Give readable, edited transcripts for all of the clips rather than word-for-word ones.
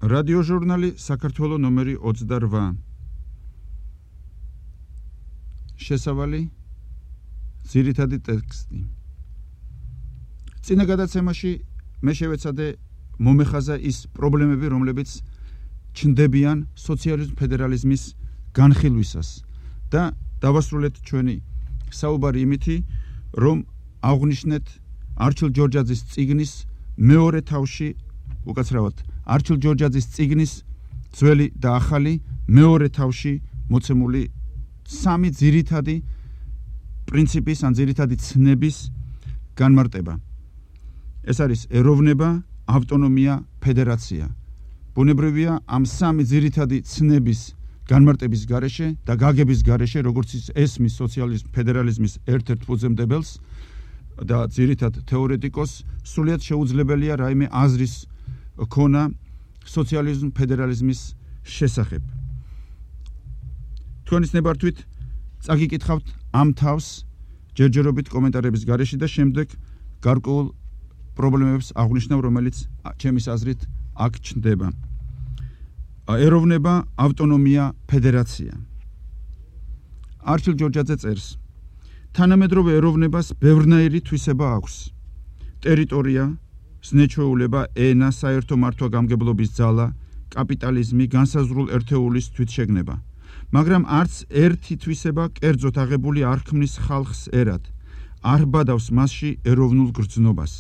რადიოჟურნალი საქართველო ნომერი 28. შესავალი ძირითადი ტექსტი. წინა გადაცემაში მე შევეცადე მომეხაზა ის პრობლემები, რომლებიც ჩნდებიან სოციალიზმის ფედერალიზმის განხილვისას და დავასრულეთ ჩვენი საუბარი იმითი, რომ აღვნიშნეთ არჩილ ჯორჯაძის წიგნის მეორე თავში, უკაცრავად არჩილ ჯორჯაძის წიგნის ძველი და ახალი მეორე თავში მოცემული სამი ძირითადი პრინციპის ან ძირითადი ცნების განმარტება. ეს არის ეროვნება, ავტონომია, ფედერაცია. ბუნებრივია ამ სამი ძირითადი ცნების განმარტების გარეშე და გაგების გარეშე, როგორც ესმის სოციალიზმის ფედერალიზმის ერთ-ერთ ფუძემდებელს და ძირითად თეორეტიკოს, სრულიად შეუძლებელია რაიმე აზრის ქონა სოციალიზმის ფედერალიზმის შესახებ. თქვენის ნებართვით წაგიკითხავთ ამ თავს ჯერჯერობით კომენტარების გარეშე და შემდეგ გარკვეულ პრობლემებს აღვნიშნავ, რომელიც ჩემის აზრით აქ ჩნდება. ეროვნება, ავტონომია, ფედერაცია. არჩილ ჯორჯაძე წერს: თანამედროვე ეროვნებას ბევრნაირი თვისება აქვს. ტერიტორია, ზნეჩვეულება, ენა, საერთო მართვა-გამგებლობის ძალა, კაპიტალიზმი, განსაზღვრულ ერთეულის თვითშეგნება. მაგრამ არც ერთი თვისება კერძოდ აღებული არ ქმნის ხალხს ერად, არ ბადავს მასში ეროვნულ გრძნობას.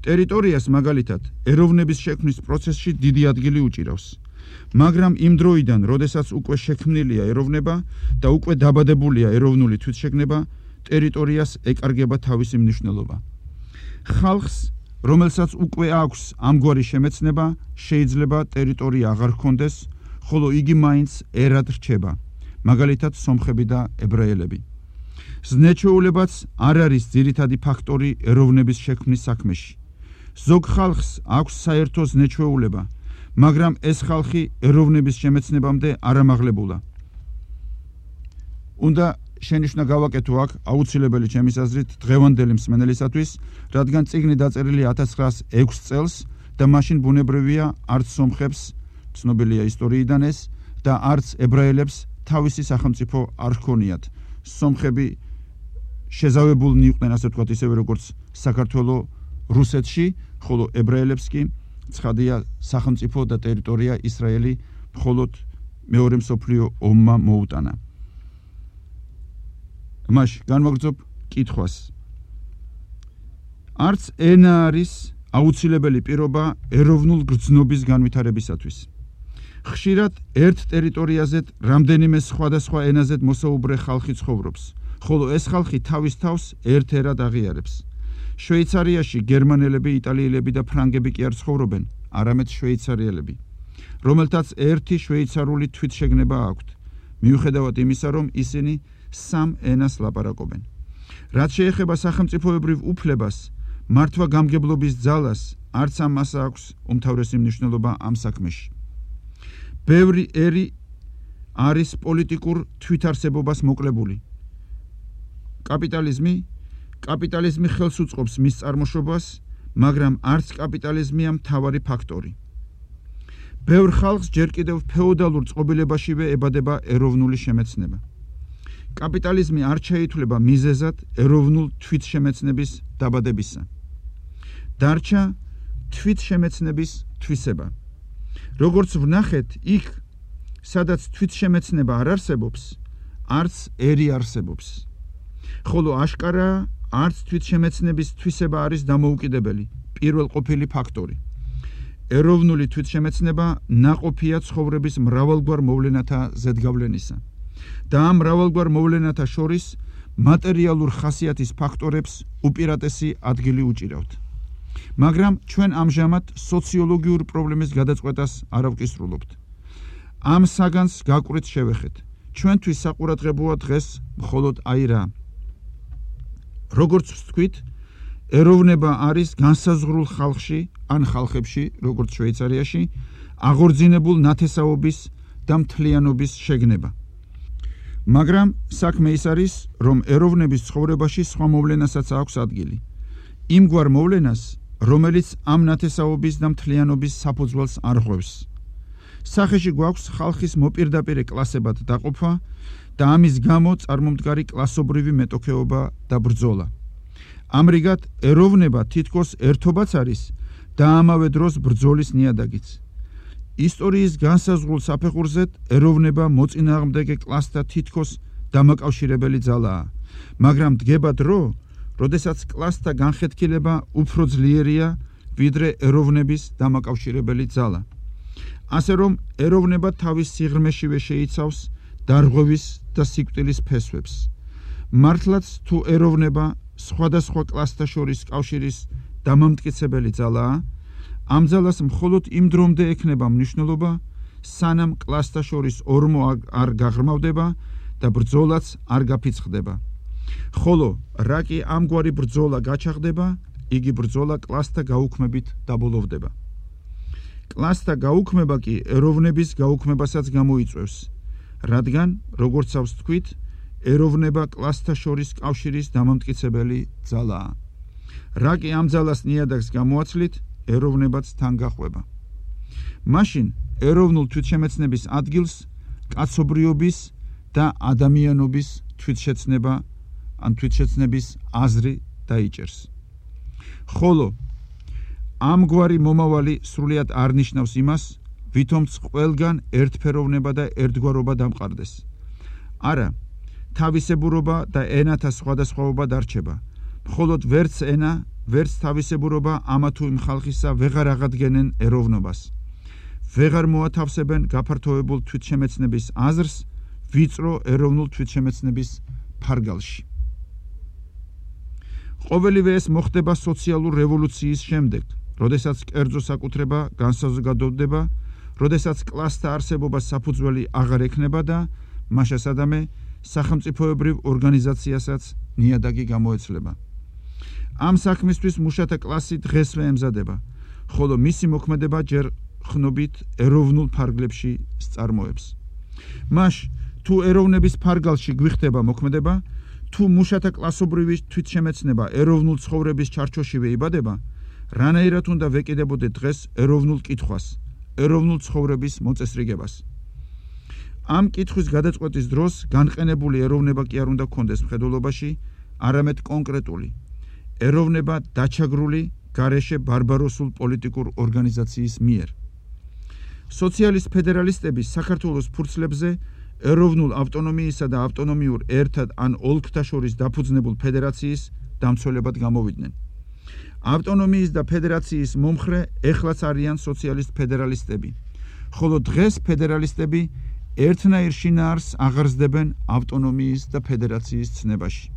ტერიტორიას მაგალითად ეროვნების შექმნის პროცესში დიდი ადგილი უჭირავს. მაგრამ იმ დროიდან, როდესაც უკვე შექმნილია ეროვნება და უკვე დაბადებულია ეროვნული თვითშეგნება, ტერიტორიას ეკარგება თავისი მნიშვნელობა. ხალხს, რომელსაც უკვე აქვს ამგვარი შემეცნება, შეიძლება ტერიტორია აღარ ჰქონდეს, ხოლო იგი მაინც ერად რჩება, მაგალითად სომხები და ებრაელები. ზნეჩვეულებაც არ არის ძირითადი ფაქტორი ეროვნების შექმნის საქმეში. ზოგ ხალხს აქვს საერთო ზნეჩვეულება, მაგრამ ეს ხალხი ეროვნების შემეცნებამდე არ ამაღლებულა. უნდა შენიშვნა გავაკეთო აქ აუცილებელი ჩემის აზრით დღევანდელი მსმენელისათვის, რადგან წიგნი დაწერილი 1906 წელს და მაშინ ბუნებრივია არც სომხებს, ცნობილია ისტორიიდან ეს, და არც ებრაელებს თავისი სახელმწიფო არ ჰქონიათ. სომხები შეზავებულნი იყვნენ, ასე ვთქვათ, ისევე როგორც საქართველოს რუსეთში, ხოლო ებრაელებს კი ცხადია სახელმწიფო და ტერიტორია ისრაელი მხოლოდ მეორე მსოფლიო ომმა მოუტანა. მაშ განვაგრძობ კითხვას. არც ენა არის აუცილებელი პირობა ეროვნულ გრძნობის განვითარებისათვის. ხშირად ერთ ტერიტორიაზე რამდენიმე სხვადასხვა ენაზე მოსაუბრე ხალხი ცხოვრობს, ხოლო ეს ხალხი თავის თავს ერთ ერად აღიარებს. შვეიცარიაში გერმანელები, იტალიელები და ფრანგები კი არ ცხოვრობენ, არამედ შვეიცარიელები, რომელთაც ერთი შვეიცარული თვითშეგნება აქვთ, მიუხედავად იმისა, რომ ისინი სამ ენას ლაპარაკობენ. რაც შეეხება სახელმწიფოებრივ უფლებას, მართვა-გამგებლობის ძალას, არც ამას აქვს უმთავრესი მნიშვნელობა ამ საქმეში. ბევრი ერი არის პოლიტიკურ თვითარსებობას მოკლებული. კაპიტალიზმი ხელს უწყობს მის წარმოშობას, მაგრამ არც კაპიტალიზმია მთავარი ფაქტორი. ბევრ ხალხს ჯერ კიდევ ფეოდალურ წყობილებაშივე ებადება ეროვნული შემეცნება. კაპიტალიზმი არ ჩაითვლება მიზეზად ეროვნულ თვითშემეცნების დაბადებისა. დარჩა თვითშემეცნების თვისება. როგორც ვნახეთ, იქ, სადაც თვითშემეცნება არ არსებობს, არც ერი არსებობს. ხოლო აშკარაა, არც თვითშემეცნების თვისება არის დამოუკიდებელი, პირველყოფილი ფაქტორი. ეროვნული თვითშემეცნება ნაყოფია ცხოვრების მრავალგვარ მოვლენათა ზედგავლენისა და ამ მრავალგვარ მოვლენათა შორის მატერიალურ ხასიათის ფაქტორებს უპირატესი ადგილი უჭირავთ. მაგრამ ჩვენ ამჟამად სოციოლოგიურ პრობლემის გადაწყვეტას არ ავკისრულობთ. ამ საგანს გაკვრით შევეხეთ. ჩვენთვის საყურადღებოა დღეს მხოლოდ აი რა. როგორც ვთქვით, ეროვნება არის განსაზღვრულ ხალხში ან ხალხებში, როგორც შვეიცარიაში, აღორძინებულ ნათესაობის და მთლიანობის შეგნება. მაგრამ საქმე ის არის, რომ ეროვნების ცხოვრებაში სხვა მოვლენასაც აქვს ადგილი. იმგვარ მოვლენას, რომელიც ამ ნათესაობის და მთლიანობის საფუძველს არღვევს. სახეში გვაქვს ხალხის მოპირდაპირე კლასებად დაყოფა და ამის გამო წარმომდგარი კლასობრივი მეტოქეობა და ბრძოლა. ამრიგად, ეროვნება თითქოს ერთობაც არის და ამავე დროს ბრძოლის ნიადაგიც. ისტორიის განსაზღვრულ საფეხურზედ ეროვნება მოწინააღმდეგე კლასთა თითქოს დამაკავშირებელი ძალაა, მაგრამ დგება დრო, როდესაც კლასთა განხეთქილება უფრო ძლიერია ვიდრე ეროვნების დამაკავშირებელი ძალა. ასე რომ ეროვნება თავის სიღრმეშივე შეიცავს დარღვევის და სიკვდილის ფესვებს. მართლაც თუ ეროვნება სხვადასხვა კლასთა შორის კავშირის დამამტკიცებელი ძალაა, ამ ძალას მხოლოდ იმ დრომდე ექნება მნიშვნელობა, სანამ კლასთა შორის ორმო არ გაღრმავდება და ბრძოლაც არ გაფიცხდება. ხოლო რა კი ამგვარი ბრძოლა გაჩაღდება, იგი ბრძოლა კლასთა გაუქმებით დაბოლოვდება. კლასთა გაუქმება კი ეროვნების გაუქმებასაც გამოიწვევს, რადგან, როგორცავს თქვით, ეროვნება კლასთა შორის კავშირის დამამტკიცებელი ძალაა. რა კი ამ ძალას ნიადაგს გამოაცლით, ეროვნებაც თან გახვება. მაშინ ეროვნულ თვითშემეცნების ადგილს კაცობრიობის და ადამიანობის თვითშეცნება ან თვითშეცნების აზრი დაიჭერს. ხოლო ამგვარი მომავალი სრულიად არ ნიშნავს იმას, ვითომც ყველგან ერთფეროვნება და ერთგვარობა დამყარდეს. არა, თავისებურობა და ენათა სხვადასხვაობა დარჩება. მხოლოდ ვერც ენა, ვერც თავისებურობა ამა თუ იმ ხალხისა ვეღარ აღადგენენ ეროვნებას. ვეღარ მოათავსებენ გაფართოებულ თვითშემეცნების აზრს ვიწრო ეროვნულ თვითშემეცნების ფარგალში. ყოველივე ეს მოხდება სოციალურ რევოლუციის შემდეგ, როდესაც კერძო საკუთრება განსაზოგადოდება, როდესაც კლასთა არსებობა საფუძველი აღარ ექნება და მაშასადამე სახელმწიფოებრივ ორგანიზაციასაც ნიადაგი გამოეცლება. ამ საქმისთვის მუშათა კლასი დღესვე ემზადება, ხოლო მისი მოქმედება ჯერ ხნობით ეროვნულ ფარგლებში სწარმოებს. მაშ თუ ეროვნების ფარგალში გვიხდება მოქმედება, თუ მუშათა კლასობრივი თვითშემეცნება ეროვნულ ცხოვრების ჩარჩოშივე იბადება, რანაირად უნდა ვეკიდებოდეთ დღეს ეროვნულ კითხვას, ეროვნულ ცხოვრების მოწესრიგებას. ამ კითხვის გადაწყვეტის დროს განყენებული ეროვნება კი არ უნდა გქონდეს მხედველობაში, არამედ კონკრეტული ეროვნება დაჩაგრული გარეშე ბარბაროსულ პოლიტიკურ ორგანიზაციის მიერ. სოციალისტ ფედერალისტები საქართველოს ფურცლებზე ეროვნულ ავტონომიისა და ავტონომიურ ერთად ან ოლქთა შორის დაფუძნებულ ფედერაციის დამცველებად გამოვიდნენ. ავტონომიის და ფედერაციის მომხრე ეხლაც არიან სოციალისტ ფედერალისტები, ხოლო დღეს ფედერალისტები ერთნაირ შინაარსს აღარსდებენ ავტონომიის და ფედერაციის ცნებაში.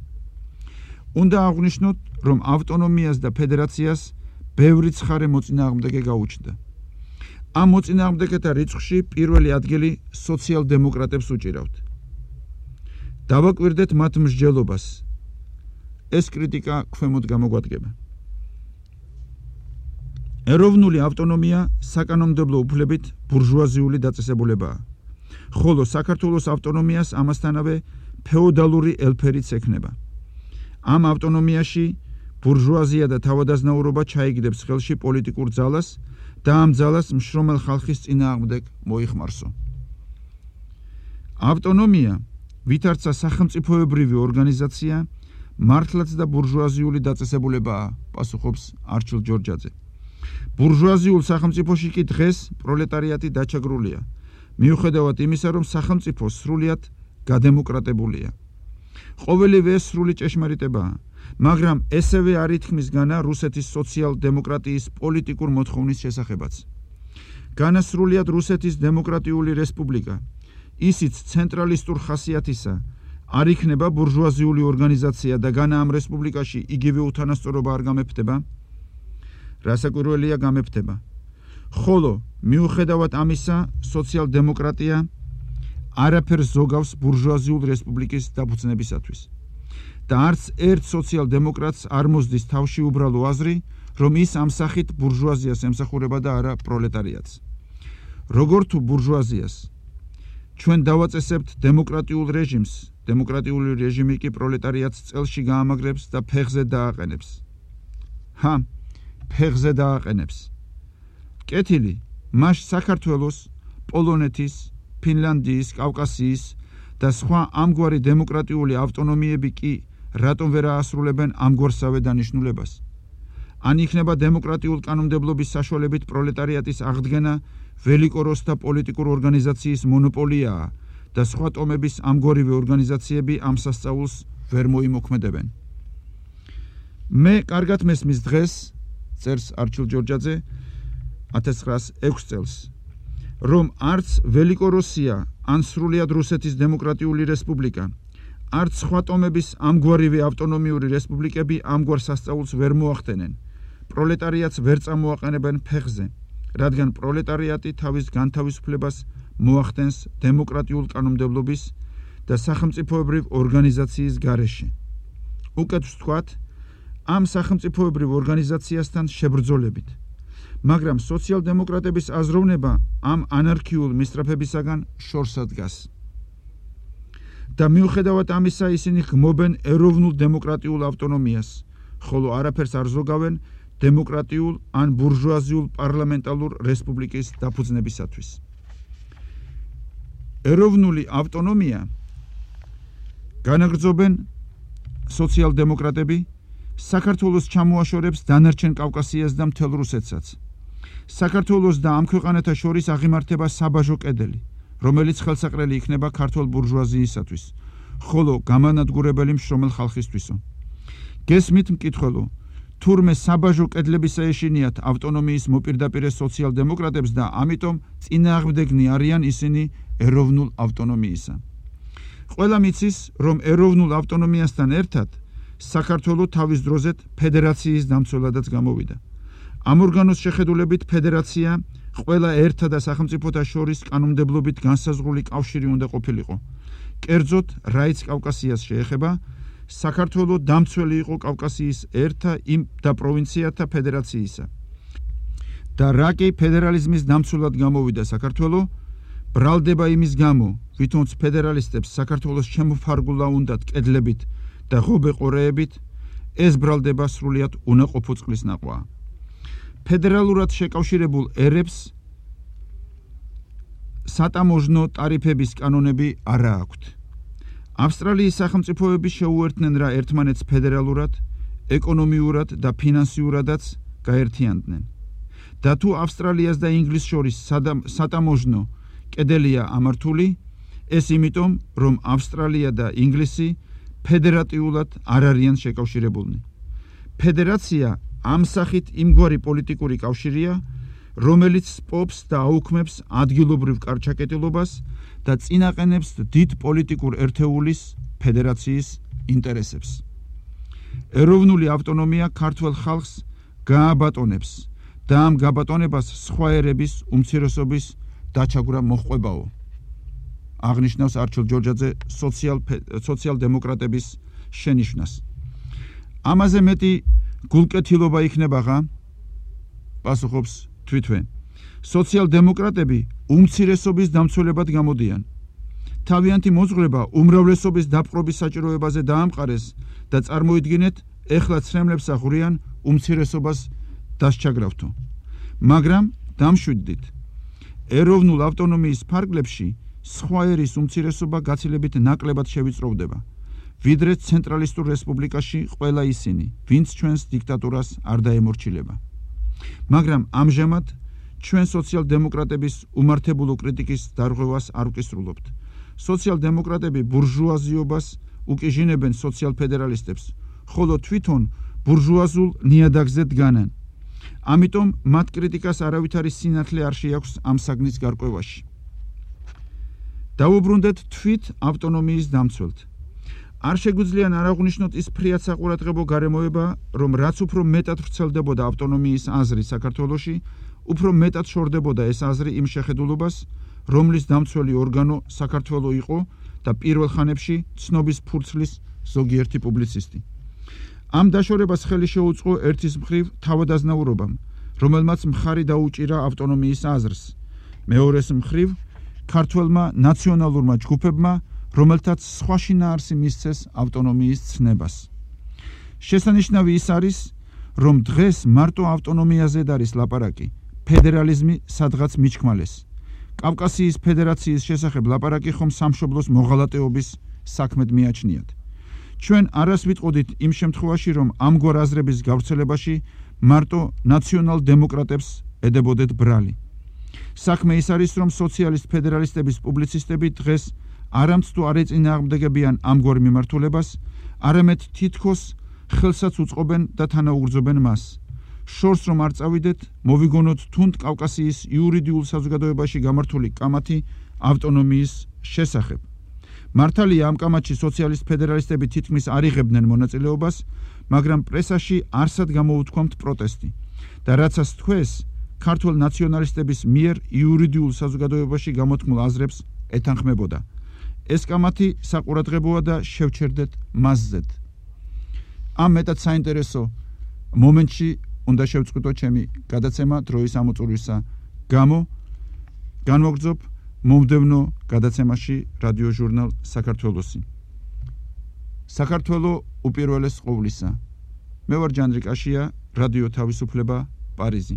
უნდა აღვნიშნოთ, რომ ავტონომიას და ფედერაციას ბევრი ცხარე მოწინააღმდეგე გაუჩნდა. ამ მოწინააღმდეგეთა რიცხვში პირველი ადგილი სოციალ-დემოკრატებს უჭირავთ. დავაკვირდეთ მათ მსჯელობას. ეს კრიტიკა ქვემოთ გამოგვადგება. ეროვნული ავტონომია საკანონმდებლო უფლებით ბურჟუაზიული დაწესებულებაა, ხოლო საქართველოს ავტონომიას ამასთანავე ფეოდალური ელფერიც ექნება. ამ ავტონომიაში ბურჟუაზია და თავადაზნაურობა ჩაიგდებს ხელში პოლიტიკურ ძალას და ამ ძალას მშრომელ ხალხის წინააღმდეგ მოიხმარსო. ავტონომია, ვითარცა სახელმწიფოებრივი ორგანიზაცია, მართლაც და ბურჟუაზიული დაწესებულებაა, პასუხობს არჩილ ჯორჯაძე. ბურჟუაზიულ სახელმწიფოში კი დღეს პროლეტარიატი დაჩაგრულია, მიუხედავად იმისა, რომ სახელმწიფო სრულიად გადემოკრატებულია. ყოველივე სრული ჭეშმარიტებაა, მაგრამ ესევე არ ითქმის განა რუსეთის სოციალ-დემოკრატიის პოლიტიკურ მოთხოვნის შესახებაც. განა სრულიად რუსეთის დემოკრატიული რესპუბლიკა, ისიც ცენტრალისტურ ხასიათისა, არ იქნება ბურჟუაზიული ორგანიზაცია და განა ამ რესპუბლიკაში იგივე უთანასწორობა არ გამეფდება? რასაკვირველია გამეფდება. ხოლო მიუხედავად ამისა, სოციალ-დემოკრატია არაფერს ზოგავს ბურჟუაზიულ რესპუბლიკის დაფუძნებისათვის. და არც ერთ სოციალ-დემოკრატს არ მოსდის თავში უბრალო აზრი, რომ ის ამ სახით ბურჟუაზიას ემსახურება და არა პროლეტარიატს. როგორ თუ ბურჟუაზიას ჩვენ დავაწესებთ დემოკრატიულ რეჟიმს, დემოკრატიული რეჟიმი კი პროლეტარიატს წელში გაამაგრებს და ფეხზე დააყენებს. ფეხზე დააყენებს. კეთილი, მას საქართველოს, პოლონეთის, ფინლანდიის, კავკასიის და სხვა ამგვარი დემოკრატიული ავტონომიები კი რატომ ვერ აასრულებენ ამგვარსავე დანიშნულებას? ან იქნება დემოკრატიულ კანონმდებლობის საშუალებით პროლეტარიატის აღდგენა ველიკოროსთა პოლიტიკურ ორგანიზაციის მონოპოლიაა და სხვა ტომების ამგვარივე ორგანიზაციები ამ სასწაულს ვერ მოიმოქმედებენ. მე კარგად მესმის დღეს, წერს არჩილ ჯორჯაძე 1906 წელს, რომ არც ველიკოროსია ან სრულიად რუსეთის დემოკრატიული რესპუბლიკა, არც სხვა ტომების ამგვარივე ავტონომიური რესპუბლიკები ამგვარ სასწაულს ვერ მოახდენენ. პროლეტარიატს ვერ წამოაყენებენ ფეხზე, რადგან პროლეტარიატი თავის განთავისუფლებას მოახდენს დემოკრატიულ კანონმდებლობის და სახელმწიფოებრივ ორგანიზაციის გარეშე. უკეთ ვთქვათ, ამ სახელმწიფოებრივ ორგანიზაციასთან შებრძოლებით, მაგრამ სოციალ-დემოკრატების აზროვნება ამ ანარქიულ მისწრაფებისაგან შორსად დგას. და მიუხედავად ამისა ისინი გმობენ ეროვნულ დემოკრატიულ ავტონომიას, ხოლო არაფერს არ ზოგავენ დემოკრატიულ ან ბურჟუაზიულ პარლამენტალურ რესპუბლიკის დაფუძნებისათვის. ეროვნული ავტონომია განაგრძობენ სოციალ-დემოკრატები, საქართველოს ჩამოაშორებს დანარჩენ კავკასიას და მთელ რუსეთსაც. საქართველოს და ამ ქვეყანათა შორის აღიმართება საბაჟო კედელი, რომელიც ხელსაყრელი იქნება ქართულ ბურჟუაზიისათვის, ხოლო გამანადგურებელი მშრომელ ხალხისთვისო. გესმით მკითხველო, თურმე საბაჟო კედლებისა ეშინიათ ავტონომიის მოპირდაპირე სოციალ-დემოკრატებს და ამიტომ წინააღმდეგნი არიან ისინი ეროვნულ ავტონომიისა. ყველა მიცის, რომ ეროვნულ ავტონომიასთან ერთად საქართველო თავის დროზე ფედერაციის დამცველადაც გამოვიდა. ამ ორგანოს შეხედულებით ფედერაცია ყველა ერთა და სახელმწიფოთა შორის კანონმდებლობით განსაზღვრული კავშირი უნდა ყოფილიყო. კერძოდ, რაიც კავკასიას შეეხება, საქართველო დამცველი იყო კავკასიის ერთა და პროვინციათა ფედერაციისა. და რა კი ფედერალიზმის დამცველად გამოვიდა საქართველო, ბრალდება იმის გამო, ვითომც ფედერალისტებს საქართველოს შემოფარგულა უნდათ კედლებით და ღობე ყორეებით, ეს ბრალდება სრულიად უნაყოფო წყლის ნაყვაა. ფედერალურად შეკავშირებულ ერებს სატამოჟნო ტარიფების კანონები არა აქვთ. ავსტრალიის სახელმწიფოები შეუერთდნენ რა ერთმანეთს ფედერალურად, ეკონომიურად და ფინანსიურადაც გაერთიანდნენ. და თუ ავსტრალიას და ინგლისს შორის სატამოჟნო კედელია ამართული, ეს იმიტომ, რომ ავსტრალია და ინგლისი ფედერატიულად არ არიან შეკავშირებულნი. ფედერაცია ამ სახით იმგვარი პოლიტიკური კავშირია, რომელიც სპობს და აუქმებს ადგილობრივ კარჩაკეტილობას და წინაყენებს დიდ პოლიტიკურ ერთეულის ფედერაციის ინტერესებს. ეროვნული ავტონომია ქართველ ხალხს გააბატონებს და ამ გაბატონებას სხვა ერების უმცირესობის დაჩაგვრა მოჰყვებაო. აღნიშნავს არჩილ ჯორჯაძე სოციალ-დემოკრატების შენიშვნას. ამაზე მეტი გულკეთილობა იქნებაღა, პასუხობს თვითვე. სოციალ-დემოკრატები უმცირესობის დამცველებად გამოდიან. თავიანთი მოძღვრება უმრავლესობის დაპყრობის საჭიროებაზე დაამყარეს და წარმოიდგინეთ, ეხლა ცრემლებს აღვრიან უმცირესობას დასჩაგრავთო. მაგრამ დამშვიდდით, ეროვნულ ავტონომიის ფარგლებში სხვა ერის უმცირესობა გაცილებით ნაკლებად შევიწროვდება, ვიდრე ცენტრალისტურ რესპუბლიკაში ყველა ისინი, ვინც ჩვენს დიქტატურას არ დაემორჩილება. მაგრამ ამჟამად ჩვენ სოციალ-დემოკრატების უმართებულო კრიტიკის დარღვევას არ ვკისრულობთ. სოციალ-დემოკრატები ბურჟუაზიობას უკიჟინებენ სოციალ-ფედერალისტებს, ხოლო თვითონ ბურჟუაზულ ნიადაგზე დგანან. ამიტომ მათ კრიტიკას არავითარი სინათლე არ შეაქვს ამ საგნის გარკვევაში. დავუბრუნდეთ თვით ავტონომიის დამცველთ. არ შეგვიძლია არ აღვნიშნოთ ის ფრიად საყურადღებო გარემოება, რომ რაც უფრო მეტად ვრცელდებოდა ავტონომიის აზრი საქართველოში, უფრო მეტად შორდებოდა ეს აზრი იმ შეხედულობას, რომლის დამცველი ორგანო საქართველო იყო და პირველ ხანებში ცნობის ფურცლის ზოგიერთი პუბლიცისტი. ამ დაშორებას ხელი შეუწყო ერთის მხრივ თავადაზნაურობამ, რომელმაც მხარი დაუჭირა ავტონომიის აზრს, მეორეს მხრივ ქართველმა ნაციონალურმა ჯგუფებმა, რომელთაც სხვა შინაარსი მისცეს ავტონომიის ცნებას. შესანიშნავი ის არის, რომ დღეს მარტო ავტონომიაზე არის ლაპარაკი, ფედერალიზმი სადღაც მიჩქმალეს. კავკასიის ფედერაციის შესახებ ლაპარაკი ხომ სამშობლოს მოღალატეობის საქმედ მიაჩნიათ. ჩვენ არას ვიტყოდით იმ შემთხვევაში, რომ ამგვარ აზრების გავრცელებაში მარტო ნაციონალ-დემოკრატებს ედებოდეთ ბრალი. საქმე ის არის, რომ სოციალისტ ფედერალისტების პუბლიცისტები დღეს არამც თუ არ ეწინააღმდეგებიან ამგვარ მიმართულებას, არამედ თითქოს ხელსაც უწყობენ და თანაუგრძობენ მას. შორს რომ არ წავიდეთ, მოვიგონოთ თუნდ კავკასიის იურიდიულ საზოგადოებაში გამართული კამათი ავტონომიის შესახებ. მართალია ამ კამათში სოციალისტ ფედერალისტები თითქმის არ იღებდნენ მონაწილეობას, მაგრამ პრესაში არსად გამოუთქვამთ პროტესტი და რაცაც თქვეს, ქართველ ნაციონალისტების მიერ იურიდიულ საზოგადოებაში გამოთქმულ აზრებს ეთანხმებოდა. ეს კამათი საყურადღებოა და შევჩერდეთ მასზედ. ამ მეტად საინტერესო მომენტში უნდა შევწყვიტო ჩემი გადაცემა დროის ამოწურვისა გამო. განვაგრძობ მომდევნო გადაცემაში რადიო ჟურნალ საქართველოსი. საქართველო უპირველეს ყოვლისა. მე ვარ ჯანდრიკაშია, რადიო თავისუფლება, პარიზი.